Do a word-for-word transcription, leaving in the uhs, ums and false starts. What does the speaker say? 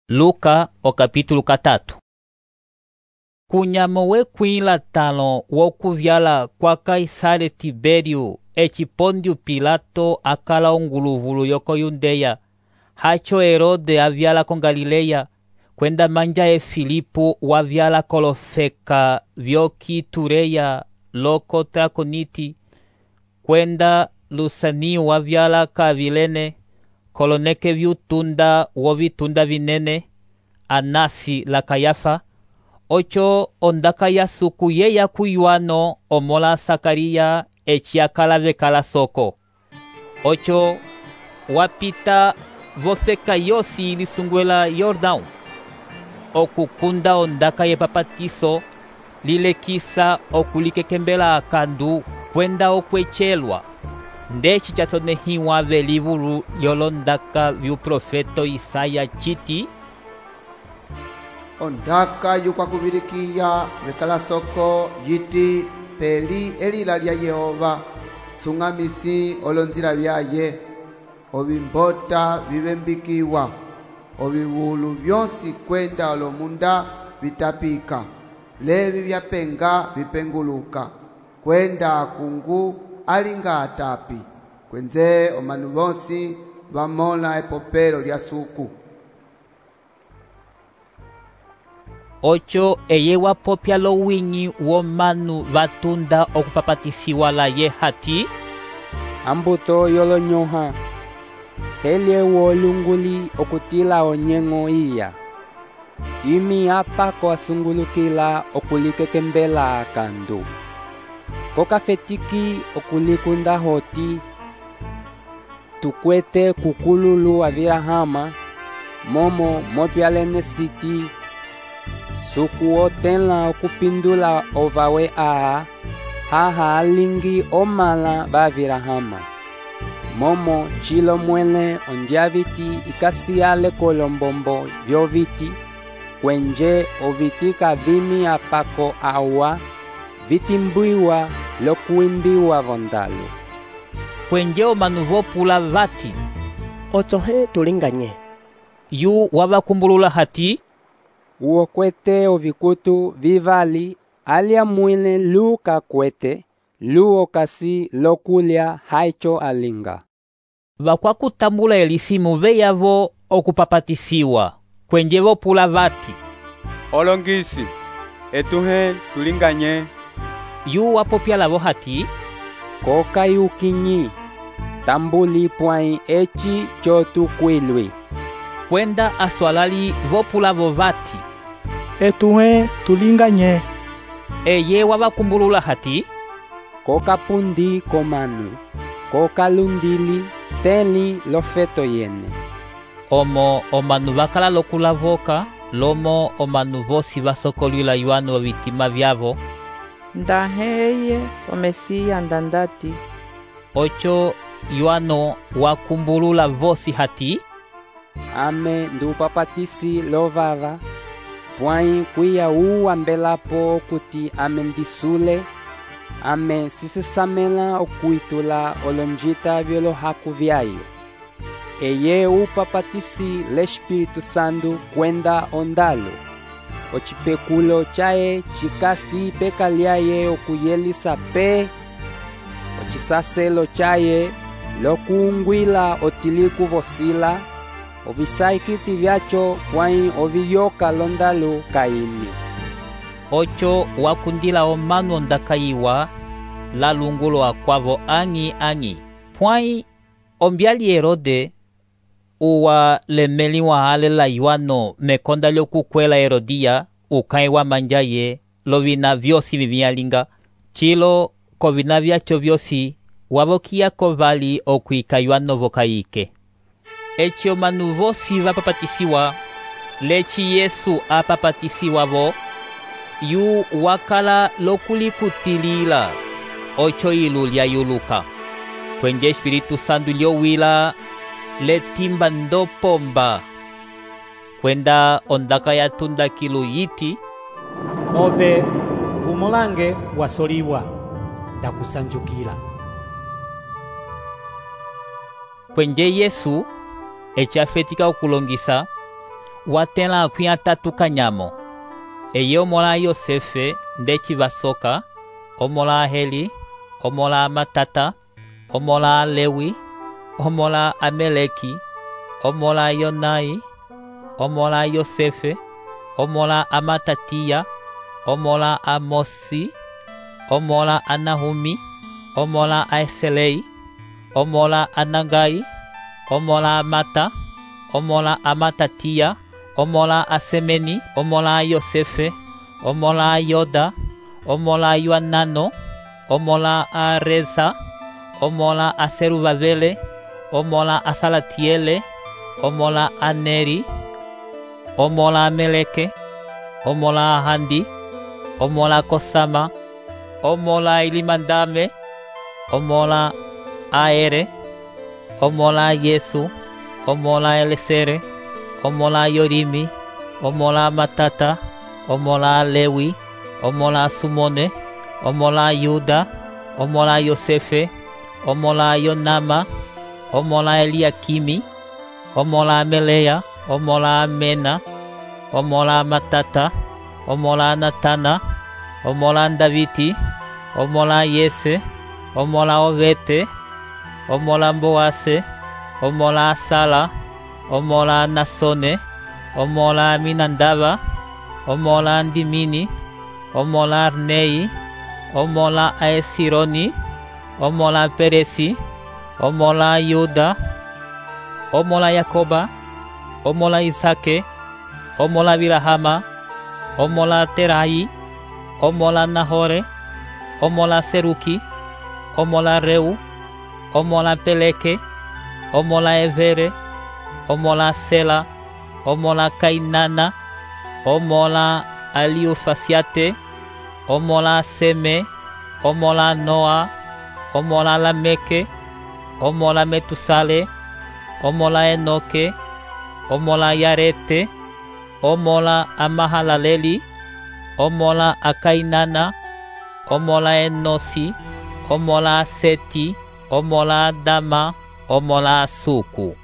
Luka o capítulo katatu. Kunyamo wekwila talo wokuvyala kwa Kaisare Tiberio eci Pondio Pilato akala onguluvulu yoko Yundeya, hacho Herode avyala ko Galileya, kwenda manja e Filipo wavyala kolofeka vyoki Tureya loko Trakoniti, kwenda Lusanio wavyala ka Vilene, koloneke vyutunda wovitunda vinene, Anasi la Kayafa, ocho ondaka yasuku yeya kuyuano omola Sakaria eci akala vekala soko. Ocho wapita vofeka yosi ilisungwela Yordão, okukunda ondaka ye papatiso, lilekisa okulikekembela akandu kwenda okwechelwa. Ndeci chasonehiwa velivulu lyolondaka vyuprofeto Isaya chiti, ondaka yukwakuvilikiya vekala soko yiti peli elila lya Yehova, sung'amisi olonzila vyaye, ovimbota vivembikiwa, ovivulu vyosi kwenda olomunda vitapika, levi vyapenga vipenguluka, kwenda akungu alinga atapi, kwenze omanu vosi vamola epopelo lya suku. Ocho eye wapopya lowinyi womanu vatunda okupapatisiwa la ye hati, ambuto yolonyoha, helye wolunguli okutila onyengo iya, imi apa koasungulukila okulikekembela akandu, kokafetiki okulikunda hoti, tukwete kukululu avirahama, momo mopyalene siti, suku otela okupindula ovawe aa, haha alingi omala bavirahama, momo chilo mwele ondiaviti ikasiale kolombombo vyoviti, kwenje oviti kavimi apako awa, vitimbuiwa lokuimbiwa vondalo. Kwenje omanu vopula vati, otohe tulinganye. Yu wabakumbulula hati, uokwete ovikutu vivali, alia mwile lu kakwete, lu okasi lokulya haicho alinga. Vakwakutambula elisimu veyavo okupapatisiwa, kwenje vopula vati, olongisi, etuhe tulinganye. Yu wapopya lavo hati, koka yukinyi, tambuli pwai echi chotukwilwi. Kwenda aswalali vopula vovati, etuhe tulinganye. Eye wabakumbulula hati, koka pundi komanu, koka lundili, teli lofeto yene. Omo omanu bakala lokula voka, lomo omanu vosi vasokolwila yuano vitima vyavo. Ndaheye omesiya ndandati. Ocho yuano wakumbulula vosi hati, ame ndupapatisi lovava, pwai kuya uwa mbelapo kuti ame ndisule, ame sisisamela okuitula olonjita vyolohaku vyayo. Eye upapatisi l'Espiritu Santo kwenda ondalo, ochipekulo chaye chikasi pekalyaye okuyelisa pe, ochisaselo chaye lokuungwila otiliku vosila, ovisaikiti vyacho pwai oviyoka londalo kaimi. Ocho wakundila omanu ondakayiwa, la lungulo akwavo angi angi. Pwai ombyali Herode, uwa lemeli wa alela yuano mekonda lyokukwela Herodia, ukai wa manjaye, lovina vyosi vivyalinga, chilo kovina vyacho vyosi, wavokia kovali okuika yuano vokaike. Echi omanu vosi vapapatisiwa, lechi Yesu apapatisiwa vo, yu wakala lokulikutilila, ocho ilu lya yuluka. Kwenje Espiritu Santo lyowila, letimba ndopomba. Kwenda ondaka yatunda kilu yiti, ove vumulange wasoliwa, ndakusanjukila. Kwenje Yesu, echi afetika okulongisa, watẽla akwĩ atatu kanyamo. Eye omola Yosefe ndeci vasoka, omola Heli, omola Matata, omola Lewi, omola Ameleki, omola Yonai, omola Yosefe, omola Amatatia, omola Amosi, omola Anahumi, omola Aeselei, omola Anagai, omola Amata, omola Amatatia, omola Asemeni, omola Yosefe, omola Yoda, omola Yoanano, omola Areza, omola Aserubabele, omola Asalatiele, omola Aneri, omola Meleke, omola Handi, omola Kosama, omola Ilimandame, omola Aere, omola Yesu, omola Elesere, omola Yorimi, omola Matata, omola Lewi, omola Sumone, omola Yuda, omola Yosefe, omola Yonama, omola Eliakimi, omola Melea, omola Mena, omola Matata, omola Natana, omola Daviti, omola Yese, omola Ovete, omola Boase, omola Sala, omola Nasone, omola Minandava, omola Ndimini, omola Arnei, omola Aesironi, omola Peresi, omola Yuda, omola Yakoba, omola Isake, omola Birahama, omola Terai, omola Nahore, omola Seruki, omola Reu, omola Peleke, omola Evere, omola Sela, omola Kainana, omola Aliufasiate, omola Seme, omola Noa, omola Lameke, omola Metusale, omola Enoke, omola Yarete, omola Amahalaleli, omola Akainana, omola Enosi, omola Seti, omola Dama, omola Suku.